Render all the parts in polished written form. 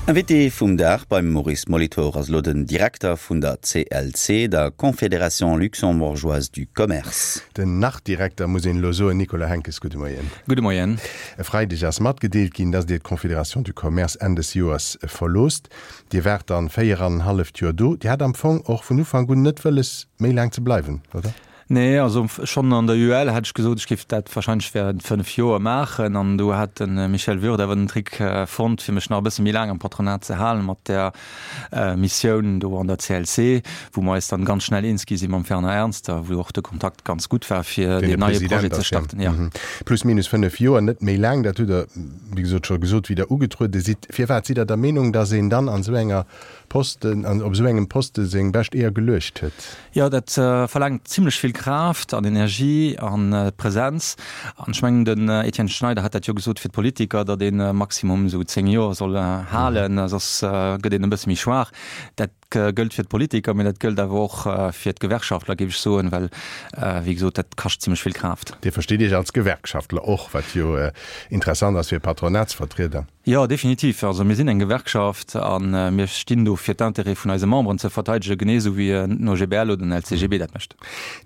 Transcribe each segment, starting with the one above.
Invité vum Dag beim Maurice Molitor ass elo den Direkter vun der CLC, der Confédération luxembourgeoise du commerce. Den Nach-Direkter, muss een elo soen, Nicolas Henckes, gudde Moien. Gudde Moien. E Freideg ass matgedeelt ginn, datt Dir d'Confédération du Commerce Enn des Joers verloosst. Dir waart dann 4 an en halleft Joer do. Dir hat am Fong och vun Ufank un net wëlles, méi laang ze bleiwen, oder? Nee, also schonn an der UEL hat ech gesot, ech géif dat wahrscheinlech während 5 Joer maachen. An do hat de Michel Würth awer den Trick fonnt, fir mech nach e bësse méi laang am Patronat ze halen, mat där Missioun do an der CLC, wou mer eis dann ganz schnell eens gi si mam Werner Ernst a wou och de Kontakt ganz gutt war, fir deen neie Projet ze starten. Jo. Plus minus 5 Joer, net méi laang, dat hutt Der, wéi gesot, scho gesot, wéi Der ugetruede sidd. Firwat sidd Der der Meenung, datt een dann an esou enger Posten, an op esou engem Poste seng bescht Eeër geluecht huet? Jo, dat verlaangt zimlech vill Kraaft an Energie an Präsenz. An ech mengen, den Etienne Schneider hat dat jo gesot fir d'Politiker, datt ee maximum esou 10 Joer soll halen, soss gëtt een e bësse méi schwaach. Dat gëllt fir d'Politiker, mee dat gëllt awer och fir d'Gewerkschaftler, géif ech soen, well, wéi gesot, dat kascht zimlech vill Kraaft. Dir verstitt Iech als Gewerkschaftler och, wat jo interessant ass fir e Patronatsvertrieder. Jo, definitiv. Also mir sinn eng Gewerkschaft a mir stinn do fir d'Intérêt vun eise Memberen ze verteidegen, genee esou wéi den OGBL oder den LCGB dat mécht.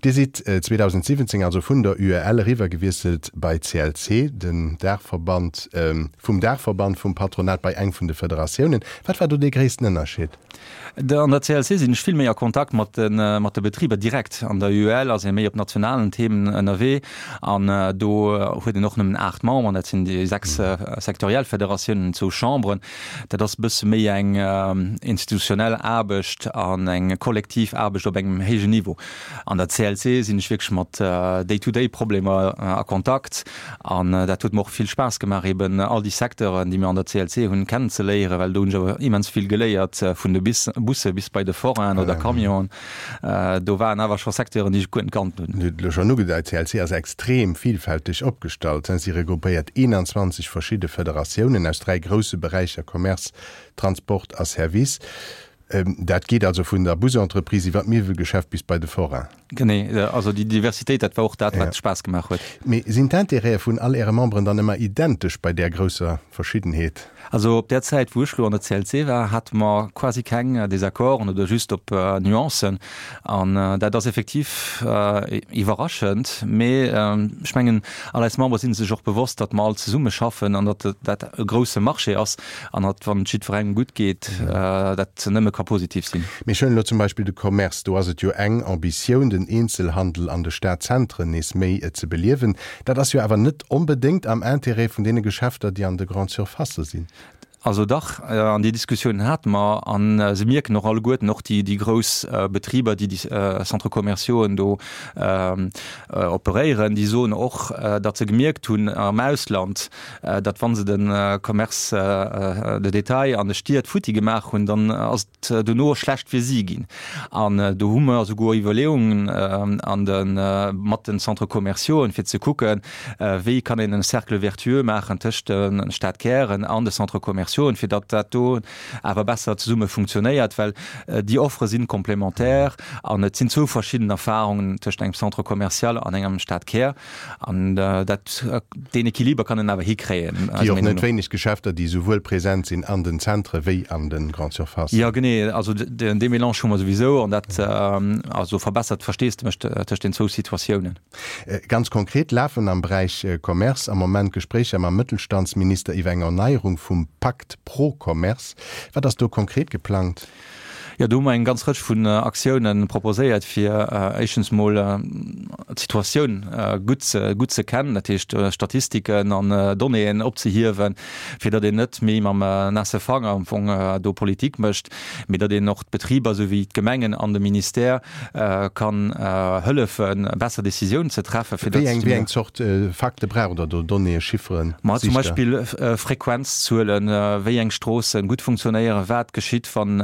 Dir sidd 2017 also vun der UEL eriwwer gewiesselt bei CLC, den Daachverband vum Daachverband vum Patronat bei eng vun de Federatiounen. Wat war do dee gréissten Ënnerscheed? An der CLC sinn ech vill méi a Kontakt mat de Betriber direkt. An der UEL ass ee méi op nationalen Themen ënnerwee an do huet een och nëmmen 8 Memberen, dat sinn déi 6 sektoriell Federatiounen an zwou Chamberen. Dat ass e bësse méi eng institutionell Aarbecht an eng kollektiv Aarbecht op engem héijen Niveau. An der CLC sinn ech wierklech mat Day-to-day-Problemer a Kontakt an dat huet mer och vill Spaass gemaach, eben all déi Secteuren, déi mir an der CLC hunn, kennenzeléieren, well do hunn ech awer immens vill geléiert, vun de Busse bis bei de Forainen oder Camionen. Do waren awer scho Secteuren, déi ech guer net kannt hunn. Dir hutt elo schonn ugedeit, d'CLC ass extrem vielfälteg opgestallt. Si regroupéiert 21 verschidde Federatiounen aus dräi grousse Beräicher, Commerce, Transport a Service. Dat geet also vun der Busentreprise iwwer d'Miwwelgeschäft bis bei de Forain. Genee, also déi Diversitéit, dat war och dat, wat Spaass gemaach huet. Mee sinn d'Intérêtë vun all Äre Memberen dann ëmmer identesch bei där grousser Verschiddenheet? Also op där Zäit, wou ech lo an der CLC war, hate mer quasi keng Desaccorden oder just op Nuancen. An dat ass effektiv iwwerraschend. Mee ech mengen, all eis Membere si sech och bewosst, datt mer all zesumme schaffen an datt dat e grousse Marché ass. An datt, wann et jiddwerengem gutt geet, dat nëmme ka positiv sinn. Mee ech huelen elo zum Beispill de Commerce, do ass et jo eng Ambitioun, den Eenzelhandel an de Stadzentren nees méi ze beliewen. Dat ass jo awer net onbedéngt am Intérêt vun deene Geschäfter, déi an de Grandes Surfacë sinn. Also dach, an déi Diskussioun hate mer. A se mierken och alleguerten, och déi grouss Betriber, déi déi Centres commerciauxen do operéieren, déi soen och, datt se gemierkt hunn am Ausland, datt wa se de Commerce de détail an de Stied futti gemaach hunn, dann ass et dono schlecht fir si ginn. An do hu mer esouguer Iwwerleeungen an de mat den Centres commerciauxen, fir ze kucken, wéi kann een e Cercle vertueux maachen tëscht de Stadkären an de Centres commerciauxen, fir datt dat do awer besser zesumme funktionéiert, well déi Offere sinn complémentaire an et sinn zwou verschidden Erfahrungen tëscht engem Centre commercial an engem Stadkär. An dat, deen Equiliber kann en awer hikréien, Gi eiser och Meenung net no. wéineg Geschäfter, déi souwuel present sinn an den Zentre wéi an de Grande Surfacen. Jo, genee. Also dee Mélange hu mer souwisou an dat also verbessert d'Versteesdemech tëscht den zwou Situatiounen. Ganz konkret lafen am Beräich Commerce am Moment Gespréicher mam Mëttelstandsminister iwwer eng Erneierung vum Pakt pro Commerce. Wat ass do konkret geplangt? Jo, do hu mer eng ganz Rëtsch vun Aktiounen proposéiert, fir éischtens mol d'Situatioun gutt ze, gutt ze kennen, dat heescht Statistiken an Donnéeën opzehiewen, fir datt een net méi mam naasse Fanger am Fong do Politik mécht, mee datt een och d'Betriber souwéi d'Gemengen an de Ministère kann hëllefen, besser Décisiounen ze treffen, fir datt. Wéi eng, wéi eng Zort Fakte braucht Der do, Donnéeë, Chifferen, Ma zum Beispill Frequenzzuelen, wéi eng Stroossen gutt funktionéieren, wat geschitt, wann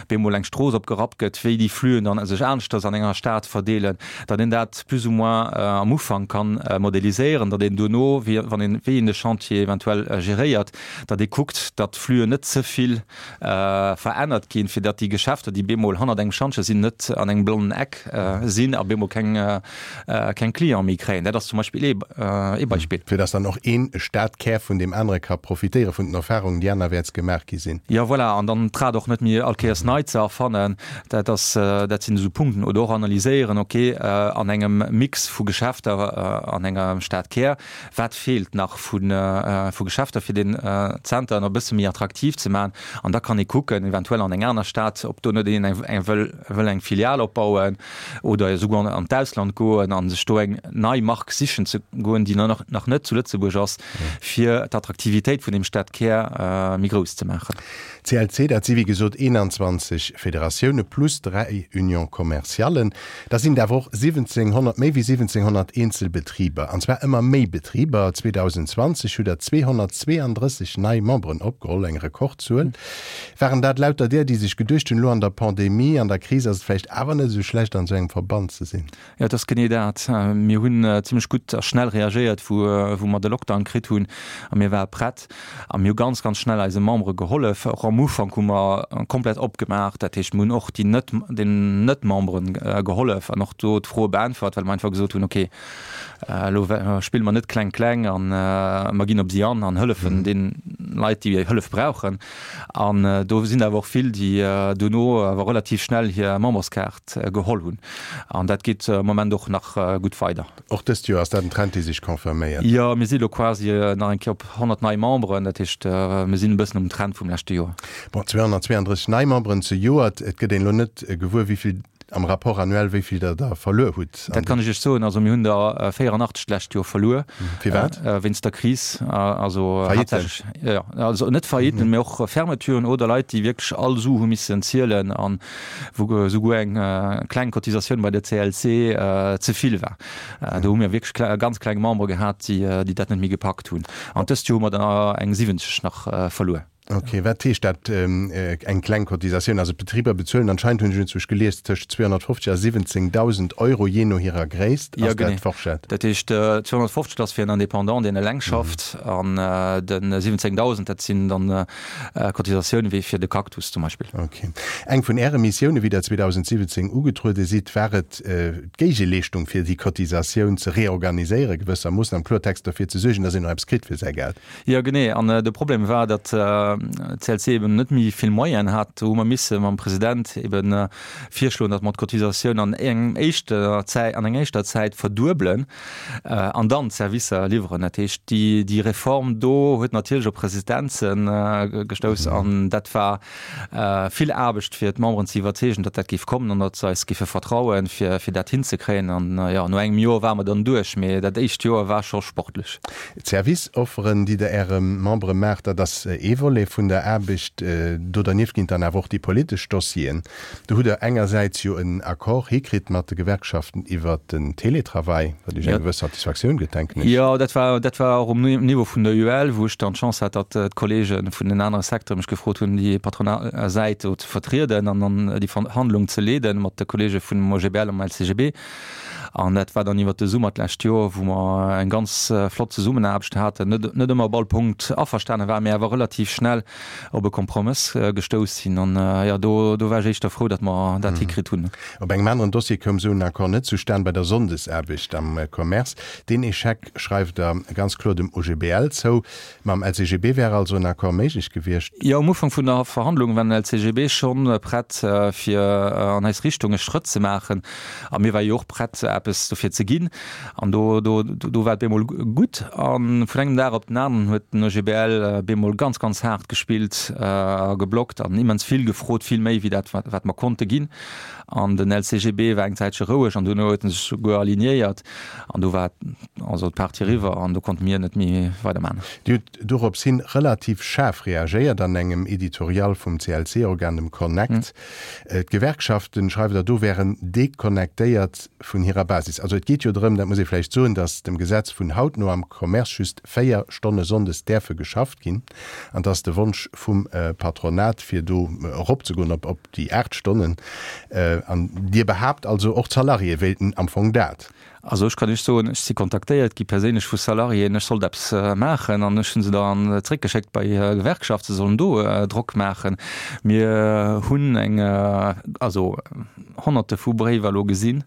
bemol. bemol eng Strooss opgerappt gëtt, wéi déi Fluen dann sech aneschters an enger Stad verdeelen, datt een dat plus ou moins am Ufank kann modeliséieren, datt een duerno, wéi wann een, wéi een de Chantier eventuell geréiert, datt ee kuckt, datt d'Fluen net ze vill verännert ginn, fir datt déi Geschäfter, déi bemol hannert engem Schantje sinn, net an engem blonnen Eck sinn a bemol keng keng Cliente méi kréien. Dat ass zum Beispill ee ee Beispill. Fir datt dann och een Stadkär vun deem anere ka profitéiere vun den Erfahrungen, déi anerwäerts gemaach gi sinn. Jo, voilà, an dann d'Rad och net méi all Kéiers nei ze erfannen, dat ass, dat sinn esou Punkten. Oder och analyséieren, okay, an engem Mix vu Geschäfter an enger Stadkär, Wat feelt nach vu Geschäfter, fir den Zenter nach e bësse méi attraktiv ze maachen? An da kann ee kucken, eventuell an eng aner Stad, ob do net een eng wëll eng Filial opbauen oder esouguer an d'Ausland goen a sech do eng nei Mark sichen ze goen, déi nach net zu Lëtzebuerg ass, fir d'Attraktivitéit vun deem Stadkär méi grouss ze maachen. CLC, dat si wéi gesot 21 Federatioune plus 3 Unions commerciallen. Da sinn et awer och 1.700, méi wéi 1.700 eenzel Betriber, an zwar ëmmer méi Betriber. 2020 hutt Der 232 nei Memberen opgeholl, eng Rekordzuel. Waren dat lauter där, déi sech geduecht hunn, elo an der Pandemie, an der Kris ass et vläicht awer net esou schlecht, an esou engem Verband ze sinn? Jo, et ass genee dat. Mir hunn zimmlech gutt a schnell reagéiert, wou mer de Lockdown kritt hunn a mir ware prett. A mir hu ganz, ganz schnell eise Membere gehollef. Och am Ufank hu mer komplett opgemaach. Dat heescht, mir hunn och déi net, den Net-Membere gehollef an och do d'Froe beäntwert, well mer einfach gesot hunn, okay, elo spille mer net kleng kleng an mer ginn op si an an hëllefen deene Leit, déi Hëllef brauchen. An do sinn awer och vill, déi duerno awer relativ schnell hir Memberskaart geholl hunn. An dat geet am Moment och nach gutt weider. Och dëst Joer ass dat en Trend, dee sech confirméiert. Jo, mir si elo quasi nach eng Kéier op 100 nei Memberen. Dat heescht, mir sinn e bëssen um Trend vum leschte Joer. Bon, 232 nei Memberen zejoert. Et gëtt een elo net gewuer, wéi vill am Rapport annuel, wéi vill Der der verluer hutt. Dat kann ech Iech soen. Also mir hunn der 84 d'lescht Joer verluer. Firwat? Wéinst der Kris. Also Faillitten? haaptsächlech, jo, also net Faillitten, mee och Fermeturen oder Leit, déi wierklech all Su hu missen zielen an wou esouguer eng kleng Cotisatioun bei der CLC ze vill war. Do hu mir wierklech ganz kleng Membere gehat, déi dat net méi gepackt hunn. An dëst Joer hu mer der eng 70 nach verluer. Ok, wat heescht dat, eng kleng Cotisatioun? Also d'Betriber bezuelen anscheinend, hunn ech enzwousch gelies, tëscht 250 a 17.000 Euro, jee no hirer Gréisst. Ass dat d'Forschett? Dat heescht, 250 ass fir en Indépendant, deen eleng schafft, an de 17.000, dat sinn dann Cotisatioun wéi fir de Cactus zum Beispill. Ok. Eng vun Äre Missioune wéi Der 2017 ugetruede sidd, war et, d'Géigeleeschtung fir déi Cotisatioun ze reorganiséieren, gewëssermoossen am Kloertext derfir ze suergen, datt een och eppes kritt fir säi Geld. Jo, genee. An de Problem war, datt d'CLC eben net méi vill Moyenen hat. Do hu mer misse mam President eben virschloen, datt mer d'Cotisatioun an engem éischter Zäit, an enger éischter Zäit verduebelen. An dann d'Servicer liwweren. Dat heescht, déi Reform do huet natierlech op Resistenze gestouss an dat war vill Aarbecht, fir d'Memberen ze iwwerzeegen, datt dat géif kommen an datt se eis géife vertrauen, fir dat hinzekréien. An jo, no engem Joer ware mer dann duerch, mee dat éischt Joer war scho sportlech. D'Service-Offeren, déi Der Äre Membere maacht, dat ass ee Volet vun der Aarbecht. Do dernieft ginn et dann awer och déi politesch Dossieren. Do hutt Der engersäits jo en Accord hikritt mat de Gewerkschaften iwwert den Télétravail, wat Iech eng gewëss Satisfaktioun gëtt, denken ech. Jo, dat war, dat war och um Niveau vun der UEL, wou ech dann d'Chance hat, datt d'Kollege vun den anere Secteure mech gefrot hunn, déi patronal Säit do ze vertrieden an dann déi Verhandlung ze leeden mat de Kollege vum OGBL an LCGB. An dat war dann iwwert de Summer d'lescht Joer, wou mer eng ganz flott Zesummenaarbecht haten, net, net ëmmer op all Punkt averstane waren, mä awer relativ schnell op e Kompromëss gestouss sinn. An jo, do, do war ech éischter frou, datt mer dat hikritt hunn. Op engem aneren Dossier koum esou en Accord net zustan, bei der Sonndesaarbecht am Commerce. Deen Echec schreift Der ganz kloer dem OGBL zou. Mam LCGB wär also en Accord méiglech gewiescht? Jo, um Ufank vun der Verhandlung war den LCGB schonn prett, fir an eis Richtung e Schrëtt ze maachen. A mir ware jo och prett, eppes dofir ze ginn. An do, do, do war et bemol gutt. A vun engem Dag op den aneren huet den OGBL bemol ganz, ganz haart gespillt a geblockt an immens vill gefrot, vill méi wéi dat, wat mer konnte ginn. An den LCGB war eng Zäitche roueg an duerno huet en sech souguer alignéiert. An do war also d'Partie eriwwer an do konnte mir net méi weidermachen. Dir hutt dorops hin relativ schaarf reagéiert an engem Editorial vum CLC-Organ, dem Connect. D'Gewerkschaften, schreift Der do, wären deconnectéiert vun hirer. Basis. Also et geet jo drëm, dat muss ee vläicht soen, datt dem Gesetz vun haut no am Commerce just 4 Stonne sonndes däerfe geschafft ginn an dass de Wonsch vum Patronat fir do eropzegoen op op déi 8 Stonnen. An Dir behaapt also, och d'Salariéë wéilten am Fong dat. Also ech kann Iech soen, ech si kontaktéiert gi perséinlech vu Salariéen, ech sollt eppes maachen an ech hu se dann zréckgeschéckt bei hir Gewerkschaft, se sollen do Drock maachen. Mir hunn eng, also Honnerte vu Bréiwer elo gesinn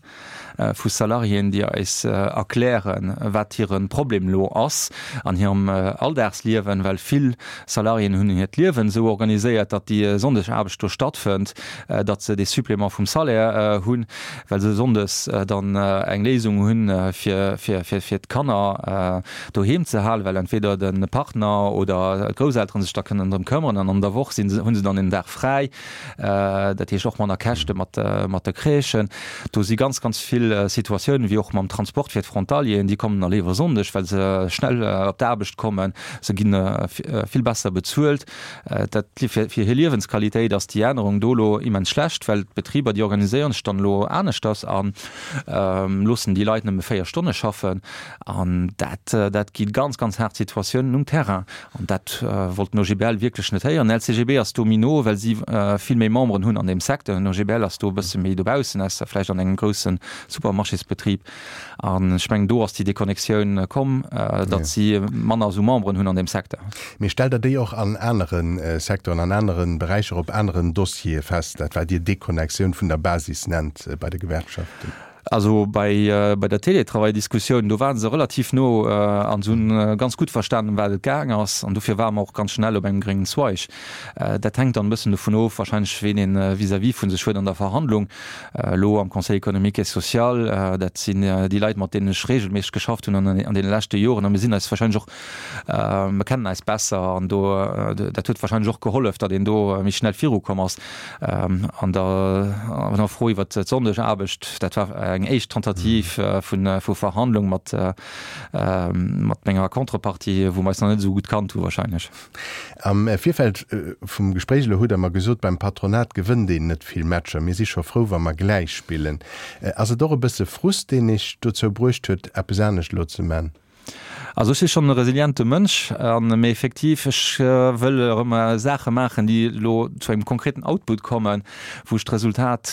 vu Salariéen, déi eis erklären, wat hire Problem elo ass an hirem Alldagsliewen, well vill Salariéen hunn hiert Liewen esou organiséiert, datt déi Sonndegaarbecht do stattfënnt, datt se dee Supplément vum Salaire hunn, well se sonndes dann eng Léisung hunn, fir fir d'Kanner doheem ze halen, well entweder de Partner oder d'Grousselteren sech da kënnen drëm këmmeren an an der Woch sinn se, hu se dann een Dag fräi. Dat heescht och manner Käschte mat mat de Crèchen. Do si ganz, ganz vill Situatiounen, wéi och mam Transport fir d'Frontalieren, déi kommen da léiwer Sonndeg, well se schnell op d'Aarbecht kommen, se gi vill besser bezuelt. Dat fir hir Liewensqualitéit ass déi Ännerung do elo immens schlecht, well d'Betriber, déi organiséieren sech dann elo aneschters a loossen déi Leit nëmme 4 Stonne schaffen. An dat dat gi ganz, ganz haart Situatiounen um Terrain. An dat wollt den OGBL wierklech net héieren. Den LCGB ass do méi no, well si vill méi Memberen hunn an deem Secteur. Den OGBL ass do e bësse méi dobaussen, ausser vläicht an engem grousse Supermarchésbetrib. An ech mengen, do ass déi Deconnectioun komm, datt si manner esou Memberen hunn an deem Secteur. Mee stellt Der déi och an anere Secteuren, an anere Beräicher, op aneren Dossiere fest, dat wat Dir Deconnectioun vun der Basis nennt bei de Gewerkschaften? Also bei bei der Télétravail-Diskussioun, do ware se relativ no an se hunn ganz gutt verstanen, ëm wat et gaang ass. An dofir ware mer och ganz schnell op engem gréngen Zweig. Dat hänkt dann e bëssen dovun of wahrscheinlech, ween ee vis-à-vis vu sech huet an der Verhandlung. Elo am Conseil économique et social, dat sinn déi Leit, mat deenen ech regelméisseg geschafft hunn an deene leschte Joren. A mir sinn eis wahrscheinlech och, mir kennen eis besser an do, dat huet wahrscheinlech och gehollef, datt een do méi schnell virukomm ass. An der Fro iwwert d'Sonndegaarbecht, dat war eng éischt Tentative vu Verhandlung mat menger Contrepartie, wou mer eis nach net esou gutt kannt hu wahrscheinlech. Am Virfeld vum Gespréich elo hutt Der mer gesot, beim Patronat gewënnt een net vill Matcher, mir si scho frou, wa mer gläich spillen. Ass et och e bësse Frust, deen Iech dozou bruecht huet, eppes anescht elo ze man? Also ech si schonn e resiliente Mënsch an, mee effektiv, ech wëll erëm Saache maachen, déi elo zu engem konkreten Output kommen, wou ech d'Resultat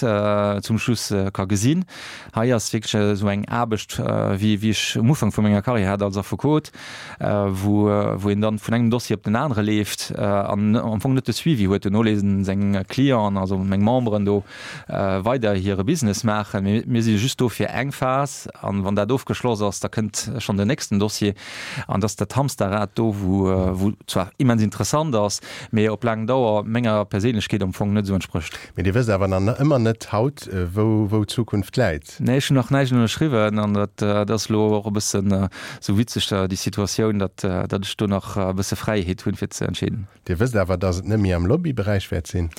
zum Schluss ka gesinn. Hei ass wierklech esou eng Aarbecht, wéi wéi ech um Ufank vu menger Karriär hat als Affekot, wou wou een dann vun engem Dossier op den anere leeft an am Fong net de Suivi huet. Duerno léisen seng Clienten, also meng Memberen do weider hire Business maachen. Mee mir si just do fir eng Phas an wann dat ofgeschloss ass, da kënnt schonn den nächsten Dossier. An dass dat Hamsterrad do, wou wou zwar immens interessant ass, mee op laang Dauer menger Perséinlechkeet am Fong net esou entsprécht. Mee Dir wësst awer nach ëmmer net haut, wou wou d'Zukunft läit? Nee, ech hunn nach näischt ënnerschriwwen an dat ass elo och e bëssen esou witzeg, déi Situatioun, datt datt ech do nach e bësse Fräiheet hunn, fir ze entscheeden. Dir wësst awer, datt et net méi am Lobbyberäich wäert sinn?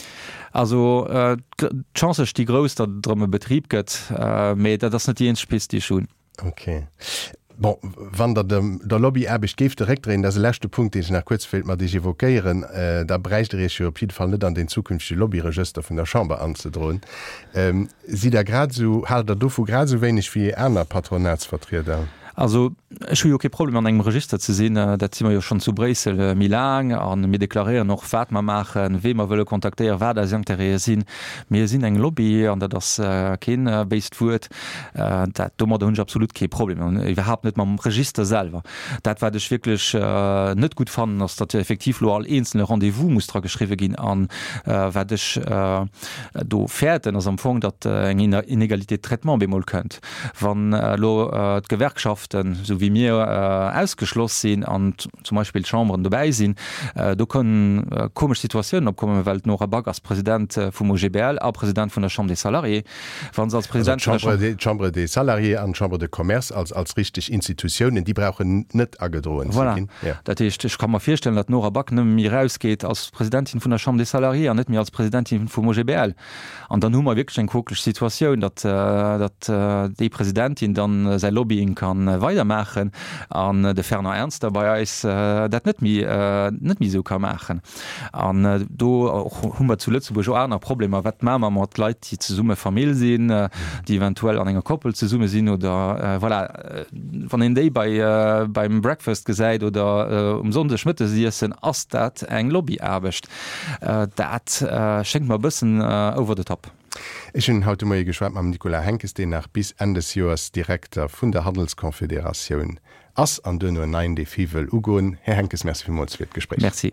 Also d'Chancë sti grouss, datt et erëm e Betrib gëtt, mee dat ass net déi eenzeg Pist, déi ech hunn. Ok. Bon, wann Der der Lobbyaarbecht géift de Réck dréinen, dat ass e leschte Punkt, deen ech nach kuerz wéilt mat Iech évoquéieren, da bräicht Der Iech jo op jidde Fall net an den zukünftege Lobbyregëster vun der Chamber anzedroen. Sidd Der grad esou, haalt Der dovu grad esou wéineg wéi aner Patronatsvertrieder? Also ech hu jo kee Problem an engem Register ze sinn, dat si mer jo schonn zu Bréissel méi laang a mir deklaréieren och wat mer maachen, wee mer wëlle kontaktéieren, wat eis Intérêtë sinn. Mir sinn eng Lobby an dat ass kee béist Wuert. Dat, domadder hunn ech absolut kee Problem an iwwerhaapt net mam Register selwer. Dat wat ech wierklech net gutt fannen, ass datt effektiv elo all eenzele Rendez-vous muss dra geschriwwe ginn an wat ech do fäerten, ass am Fong, datt eng Inégalité de traitement bemol kënnt. Wann elo d'Gewerkschaften, esou wéi mir, ausgeschloss sinn an zum Beispill d'Chamberen dobäi sinn, do kënnen komesch Situatiounen opkommen, well d'Nora Back ass President vum OGBL a President vun der Chambre des Salariés. Wa se als President vun der Chambre. D'Chambre des Salariés an d'Chambre de Commerce als als richteg Institutiounen, déi brauchen net agedroen ze ginn. Voilà. Dat heescht, ech ka mer virstellen, datt d'Nora Back nëmme méi erausgeet als Presidentin vun der Chambre des Salariés an net méi als Presidentin vum OGBL. An dann hu mer wierklech eng quokeleg Situatioun, datt, datt déi Presidentin dann säi Lobbying kann. weidermaachen an de Fernand Ernster bei eis dat net méi, net méi esou ka maachen. An do hu mer zu Lëtzebuerg och aner Problemer. Wat maache mer mat Leit, déi zesumme Famill sinn, déi eventuell an enger Koppel zesumme sinn oder voilà, wann een déi bei beim Breakfast gesäit oder um Sonndeg Mëttesiessen, ass dat eng Lobbyaarbecht. Dat schéngt mer e bëssen over the top. Ech hunn haut de Moie geschwat mam Nicolas Henckes, deen nach bis Enn des Joers Direkter vun der Handelsconfederatioun ass an duerno en neien Defi wëll ugoen. Här Henckes, Merci villmools fir d'Gespréich. Merci.